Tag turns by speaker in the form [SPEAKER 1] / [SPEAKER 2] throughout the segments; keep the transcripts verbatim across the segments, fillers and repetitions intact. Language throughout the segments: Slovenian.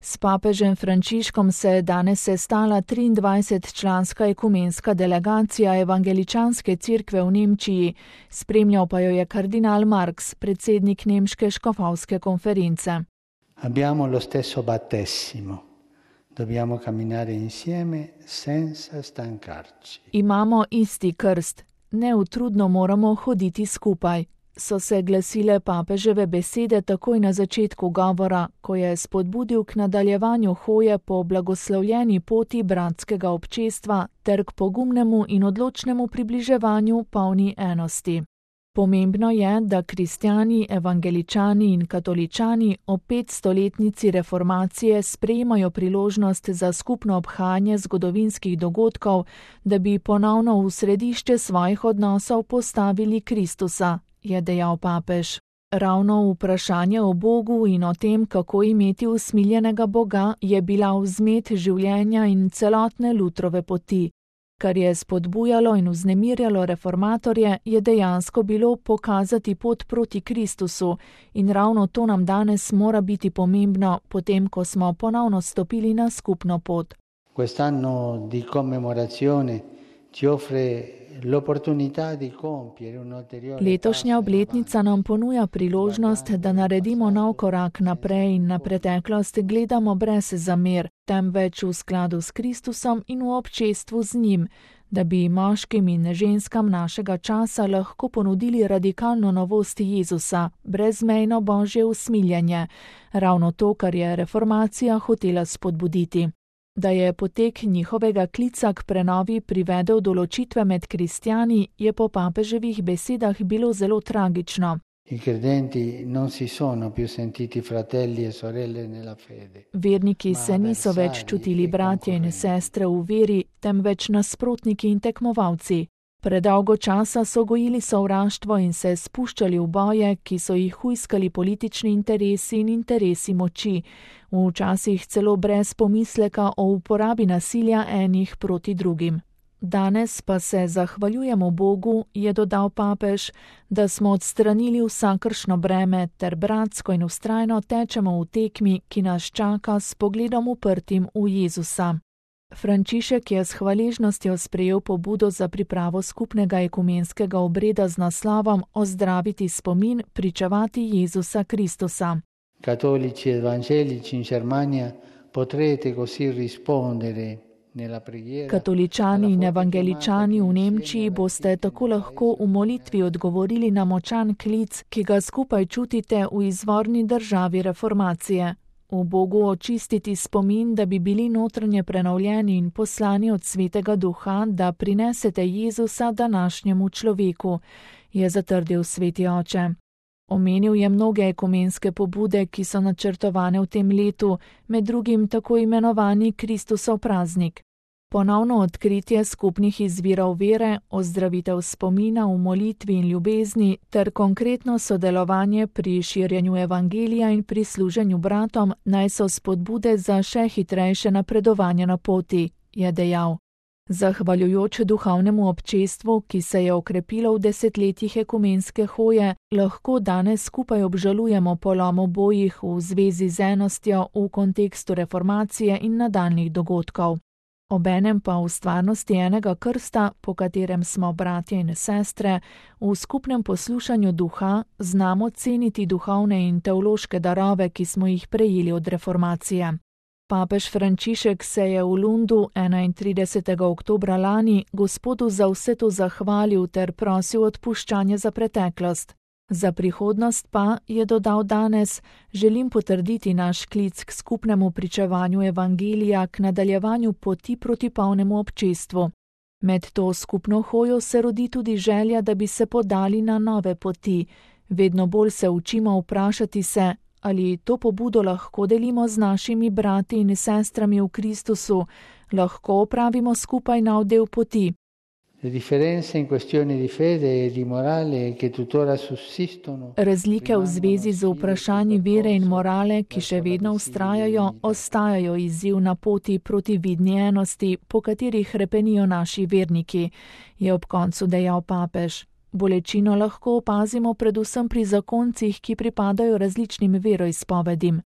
[SPEAKER 1] S papežem Frančiškom se je danes sestala triindvajsetčlanska ekumenska delegacija Evangeličanske cerkve v Nemčiji, spremljal pa jo je kardinal Marx, predsednik nemške škofovske konference.
[SPEAKER 2] Abbiamo lo stesso battesimo. Dobbiamo camminare insieme senza stancarci.
[SPEAKER 1] Imamo isti krst, neutrudno moramo hoditi skupaj. So se glasile papeževe besede takoj na začetku govora, ko je spodbudil k nadaljevanju hoje po blagoslovljeni poti bratskega občestva ter k pogumnemu in odločnemu približevanju polni enosti. Pomembno je, da kristjani, evangeličani in katoličani ob petstoletnici reformacije sprejemajo priložnost za skupno obhajanje zgodovinskih dogodkov, da bi ponovno v središče svojih odnosov postavili Kristusa, je dejal papež. Ravno vprašanje o Bogu in o tem, kako imeti usmiljenega Boga, je bila vzmet življenja in celotne Lutrove poti. Kar je spodbujalo in vznemirjalo reformatorje, je dejansko bilo pokazati pot proti Kristusu in ravno to nam danes mora biti pomembno, potem ko smo ponovno stopili na skupno pot.
[SPEAKER 2] Quest'anno di commemorazione ci offre l'opportunità di compiere un ulteriore.
[SPEAKER 1] Letošnja obletnica nam ponuja priložnost, da naredimo nov korak naprej in na preteklost gledamo brez zamer, temveč v skladu s Kristusom in v občestvu z njim, da bi moškim in ženskam našega časa lahko ponudili radikalno novost Jezusa, brezmejno božje usmiljenje, ravno to, kar je reformacija hotela spodbuditi. Da je potek njihovega klica k prenovi privedel do ločitve med kristjani, je po papeževih besedah bilo zelo tragično.
[SPEAKER 2] I credenti non si sono più sentiti fratelli e sorelle nella fede.
[SPEAKER 1] Verniki se niso več čutili bratje in sestre v veri, temveč nasprotniki in tekmovalci. Predolgo časa so gojili sovraštvo in se spuščali v boje, ki so jih hujskali politični interesi in interesi moči, včasih celo brez pomisleka o uporabi nasilja enih proti drugim. Danes pa se zahvaljujemo Bogu, je dodal papež, da smo odstranili vsakršno breme ter bratsko in vztrajno tečemo v tekmi, ki nas čaka s pogledom uprtim v Jezusa. Frančišek je s hvaležnostjo sprejel pobudo za pripravo skupnega ekumenskega obreda z naslovom Ozdraviti spomin, pričevati Jezusa Kristusa.
[SPEAKER 2] Cattolici e evangelici in Germania potrete così rispondere nella preghiera.
[SPEAKER 1] Katoličani in evangeličani v Nemčiji boste tako lahko v molitvi odgovorili na močan klic, ki ga skupaj čutite v izvorni državi reformacije. V Bogu očistiti spomin, da bi bili notranje prenovljeni in poslani od Svetega Duha, da prinesete Jezusa današnjemu človeku, je zatrdil Sveti Oče. Omenil je mnoge ekumenske pobude, ki so načrtovane v tem letu, med drugim tako imenovani Kristusov praznik. Ponovno odkritje skupnih izvirov vere, ozdravitev spomina v molitvi in ljubezni ter konkretno sodelovanje pri širjenju evangelija in pri služenju bratom naj so spodbude za še hitrejše napredovanje na poti, je dejal. Zahvaljujoč duhovnemu občestvu, ki se je okrepilo v desetletjih ekumenske hoje, lahko danes skupaj obžalujemo polom obojih v zvezi z enostjo v kontekstu reformacije in nadaljnjih dogodkov. Obenem pa v stvarnosti enega krsta, po katerem smo bratje in sestre, v skupnem poslušanju duha znamo ceniti duhovne in teološke darove, ki smo jih prejeli od reformacije. Papež Frančišek se je v Lundu enaintridesetega oktobra lani Gospodu za vse to zahvalil ter prosil odpuščanje za preteklost. Za prihodnost pa, je dodal danes, želim potrditi naš klic k skupnemu pričevanju evangelija, k nadaljevanju poti proti polnemu občestvu. Med to skupno hojo se rodi tudi želja, da bi se podali na nove poti. Vedno bolj se učimo vprašati se, ali to pobudo lahko delimo z našimi brati in sestrami v Kristusu, lahko opravimo skupaj nov del poti.
[SPEAKER 2] Le differenze in questioni di fede e di morale che tuttora sussistono.
[SPEAKER 1] Razlike v zvezi z vprašanji vere in morale, ki še vedno vztrajajo, ostajajo izziv na poti proti vidni enosti, po kateri hrepenijo naši verniki, je ob koncu dejal papež. Bolečino lahko opazimo predvsem pri zakoncih, ki pripadajo različnim veroizpovedim.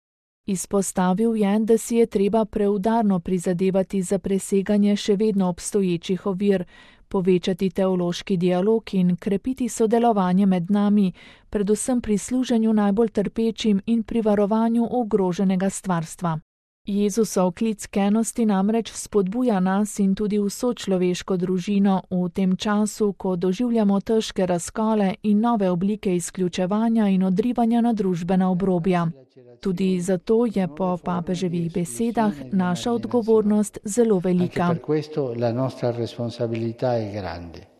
[SPEAKER 1] Izpostavil je, da si je treba preudarno prizadevati za preseganje še vedno obstoječih ovir, povečati teološki dialog in krepiti sodelovanje med nami, predvsem pri služenju najbolj trpečim in pri varovanju ogroženega stvarstva. Jezusov klic k enosti namreč spodbuja nas in tudi vso človeško družino v tem času, ko doživljamo težke razkole in nove oblike izključevanja in odrivanja na družbena obrobja. Tudi zato je po papeževih besedah naša odgovornost zelo velika.